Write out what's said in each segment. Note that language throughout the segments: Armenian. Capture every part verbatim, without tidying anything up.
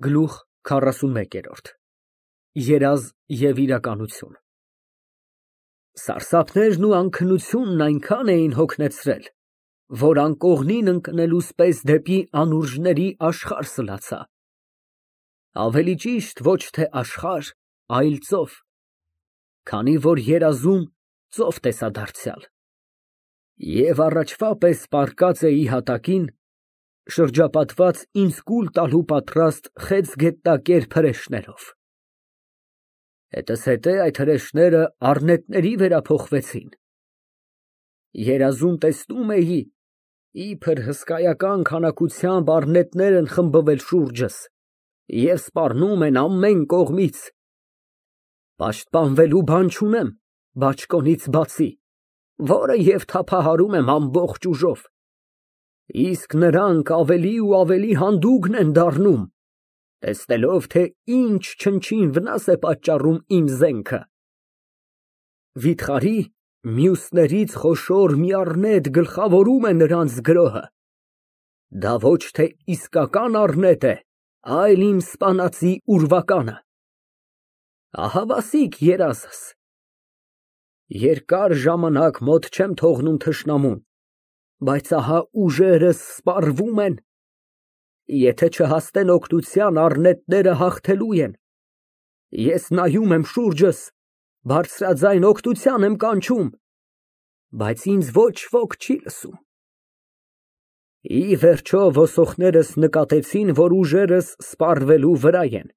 Գլուխ քառասունմեկ։ Երազ և իրականություն։ Սարսափներն ու անքնությունն այնքան էին հոգնեցրել, որ անկողնին ընկնելուս պես դեպի անուրջների աշխարհ սլացա, ավելի ճիշտ ոչ թե աշխարհ, այլ ծով, քանի որ երազում ծով տեսա դարձյալ, և առաջվա պես պառկած էի հատակին, շրջապատված ինձ կուլ տալու պատրաստ խեցգետնակեր հրեշներով. հետզհետե այդ հրեշները առնետների վերափոխվեցին, երազում տեսնում էի, իբր հսկայական քանակությամբ առնետներ են խմբվել շուրջս և սպառնում են ամեն կողմից, պաշտպանվելու բան չունեմ բաճկոնից բացի, որը և թափահարում եմ ամբողջ ուժով, իսկ նրանք ավելի ու ավելի հանդուգն են դառնում, տեսնելով, թե ինչ չնչին վնաս է պատճառում իմ զենքը։ Վիթխարի մյուսներից խոշոր մի առնետ գլխավորում է նրանց գրոհը, դա ոչ թե իսկական առնետ է, այլ իմ սպանածի ուրվականը։ Ահավասիկ երազս, երկար ժամանակ մոտ չեմ թողնում թշնամուն, բայց ահա ուժերս սպառվում են, եթե չհասնեն օգնության, առնետները հաղթելու են, ես նայում եմ շուրջս, բարձրաձայն օգնության եմ կանչում, բայց ինձ ոչ ոք չի լսում։ Ի վերջո ոսողներս նկատեցին, որ ուժերս սպառվելու վրա են,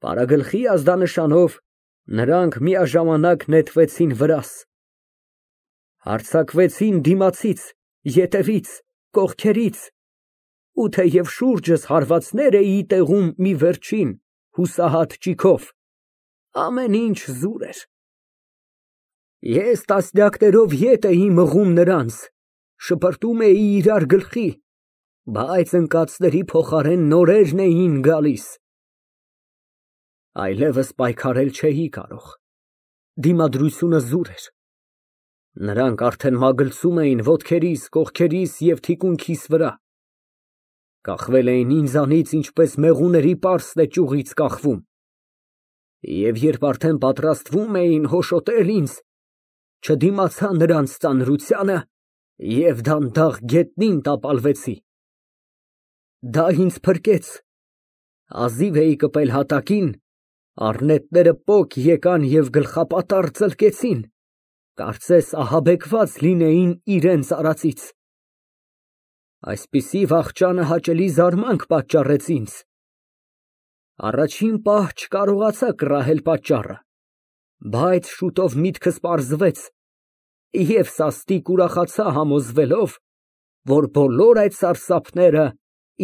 պարագլխի ազդանշանով նրանք միաժամանակ նետվեցին վրաս, հարձակվեցին դիմացից, ետևից, կողքերից, ու թեև շուրջս հարվածներ էի տեղում մի վերջին հուսահատ ճիգով, ամեն ինչ զուր էր, ես տասնյակներով ետ էի մղում նրանց, շպրտում էի իրար գլխի, բայց ընկածների փոխարեն նորերն էին գալիս, այլևս պայքարել չէի կարող, դիմադրությունը զուր էր, նրանք արդեն մագլցում էին ոտքերիս, կողքերիս և թիկունքիս վրա, կախվել էին ինձանից, ինչպես մեղուների պարսն է ճյուղից կախվում, և երբ արդեն պատրաստվում էին հոշոտել ինձ, չդիմացա նրանց ծանրությանը և դանդաղ գետնին տապալվեցի, դա ինձ փրկեց, հազիվ էի կպել հատակին, առնետները պոկ եկան և գլխապատառ ծլկեցին, կարծես ահաբեկված լինեին իրենց արածից, այսպիսի վախճանը հաճելի զարմանք պատճառեց ինձ, առաջին պահ չկարողացա կռահել պատճառը, բայց շուտով միտքս պարզվեց և սաստիկ ուրախացա համոզվելով, որ բոլոր այդ սարսափները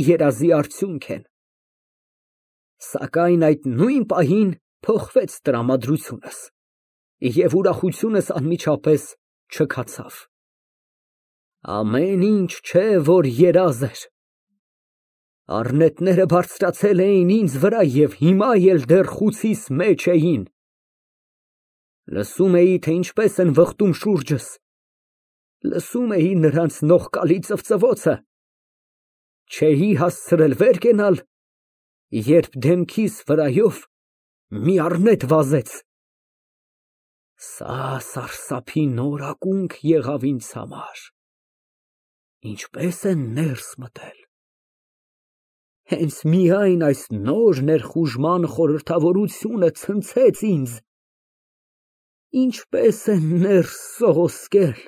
երազի արդյունք են, սակայն այդ նույն պահին փոխվեց տրամադրությունս և ուրախությունս անմիջապես չքացավ, ամեն ինչ չէ, որ երազ էր, առնետները բարձրացել էին ինձ վրա և հիմա էլ դեռ խուցիս մեջ էին, լսում էի, թե ինչպես են վխտում շուրջս, լսում էի նրանց նողկալի ծվծվոցը, չէի հասցրել վեր կենալ, երբ դեմքիս վրայով մի առնետ վազեց, սա սարսափի նոր ակունք եղավ ինձ համար, ինչպես են ներս մտել, հենց միայն այս նոր ներխուժման խորհրդավորությունը ցնցեց ինձ, ինչպես են ներս սողոսկել,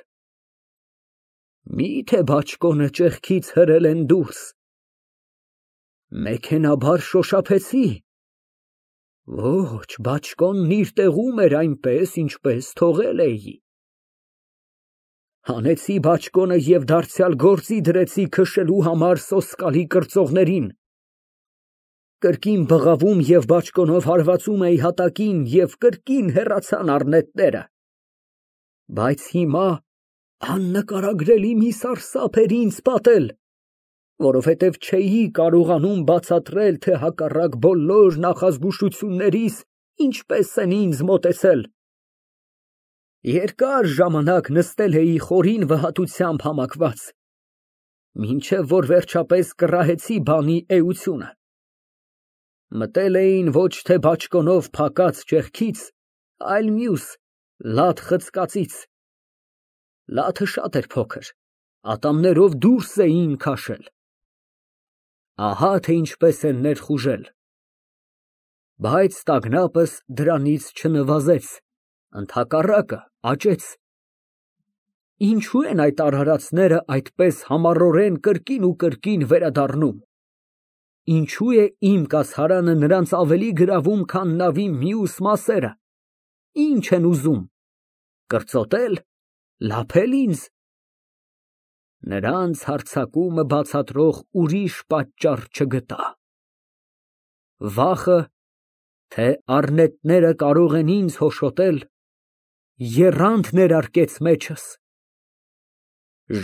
միթե բաճկոնը ճեղքից հրել են դուրս, մեքենաբար շոշափեցի, ոչ, բաճկոնն իր տեղում էր այնպես, ինչպես թողել էի, հանեցի բաճկոնը և դարձյալ գործի դրեցի քշելու համար սոսկալի կրծողներին, կրկին բղավում և բաճկոնով հարվածում էի հատակին և կրկին հեռացան առնետները, բայց հիմա աննկարագրելի մի սարսափ էր ինձ պատել, որովհետև չէի կարողանում բացատրել, թե հակառակ բոլոր նախազգուշություններիս ինչպես են ինձ մոտեցել, երկար ժամանակ նստել էի խորին վհատությամբ համակված, մինչև որ վերջապես կռահեցի բանի էությունը, Մտել էին ոչ թե բաճկոնով փակած ճեղքից, այլ մյուս, լատ խցկածից։ Լաթը շատ էր փոքր, ատամներով դուրս էին քաշել։ Ահա թե ինչպես են ներխուժել։ Բայց տագնապս դրանից չնվազեց, ընդհակառակը աճեց։ Ինչու են այդ արարածները այդպես համառորեն կրկին ու կրկին վերադառնում։ Ինչու է իմ կացարանը նրանց ավելի գրավում, քան նավի մյուս մասերը։ Ինչ են ուզում, կրծոտել, լափել ինձ։ Նրանց հարձակումը բացատրող ուրիշ պատճառ չգտա։ Վախը, թե առնետները կարող են ինձ հոշոտել, եռանդ ներարկեց մեջս։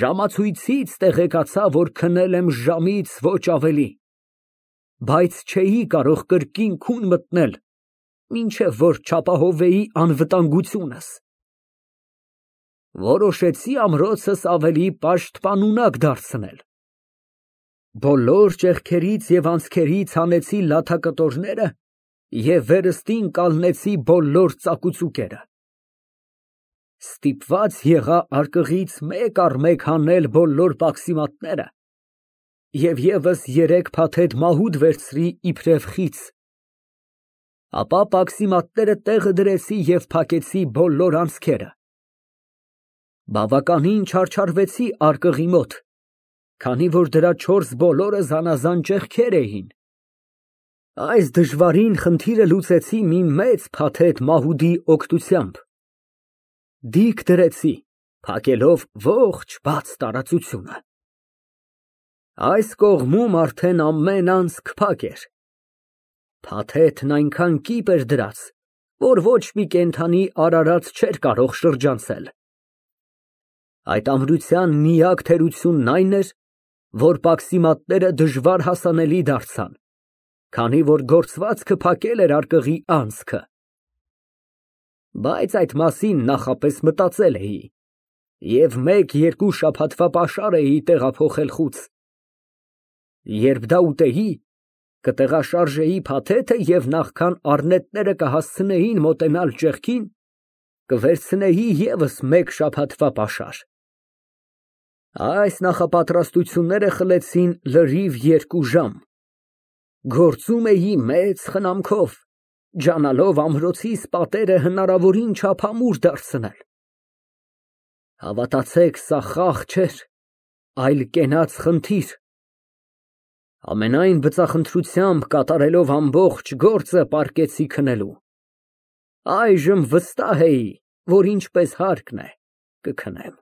Ժամացույցից տեղեկացա, որ քնել եմ ժամից ոչ ավելի, բայց չէի կարող կրկին քուն մտնել, մինչև որ չապահովեի անվտանգությունս։ Որոշեցի ամրոցս ավելի պաշտպանունակ դարձնել։ Բոլոր ճեղքերից և անցքերից հանեցի լաթակտորները և վերստին կալնեցի բոլոր ծակուցուկերը։ Ստիպված եղա արկղից մեկ առ մեկ հանել բոլոր պաքսիմատները և ևս երեք փաթեթ մահուդ վերցրի իբրև խիծ։ Ապա պաքսիմատները տեղը դրեցի և փակեցի բոլոր անցքերը։ Բավականին չարչարվեցի արկղի մոտ, քանի որ դրա չորս բոլորը զանազան ճեղքեր էին։ Այս դժվարին խնդիրը լուծեցի մի մեծ փաթեթ մահուդի օգնությամբ։ Դիք դրեցի, փակելով ողջ բաց տարածությունը։ Այս կողմում արդեն ամեն անցք փակ էր։ Փաթեթն այնքան կիպ էր դրած, որ ոչ մի կենդանի արարած չէր կարող շրջանցել։ Այդ ամրության միակ թերությունն այն էր, որ պաքսիմատները դժվար հասանելի դարձան, քանի որ գործվածքը փակել էր արկղի անցքը։ Բայց այդ մասին նախապես մտածել էի և մեկ֊երկու շաբաթվա պաշար էի տեղափոխել խուց։ Երբ դա ուտեի, կտեղաշարժեի փաթեթը և նախքան առնետները կհասցնեին մոտենալ ճեղքին, կվերցնեի ևս մեկ շաբաթվա պաշար։ Այս նախապատրաստությունները խլեցին լրիվ երկու ժամ։ Գործում էի մեծ խնամքով, ջանալով ամրոցիս պատերը հնարավորին չափ ամուր դարձնել։ Հավատացեք, սա խաղ չէր, այլ կենաց խնդիր։ Ամենայն բծախնդրությամբ կատարելով ամբողջ գործը պառկեցի քնելու։ Այժմ վստահ էի, որ ինչպես հարկն է, կքնեմ։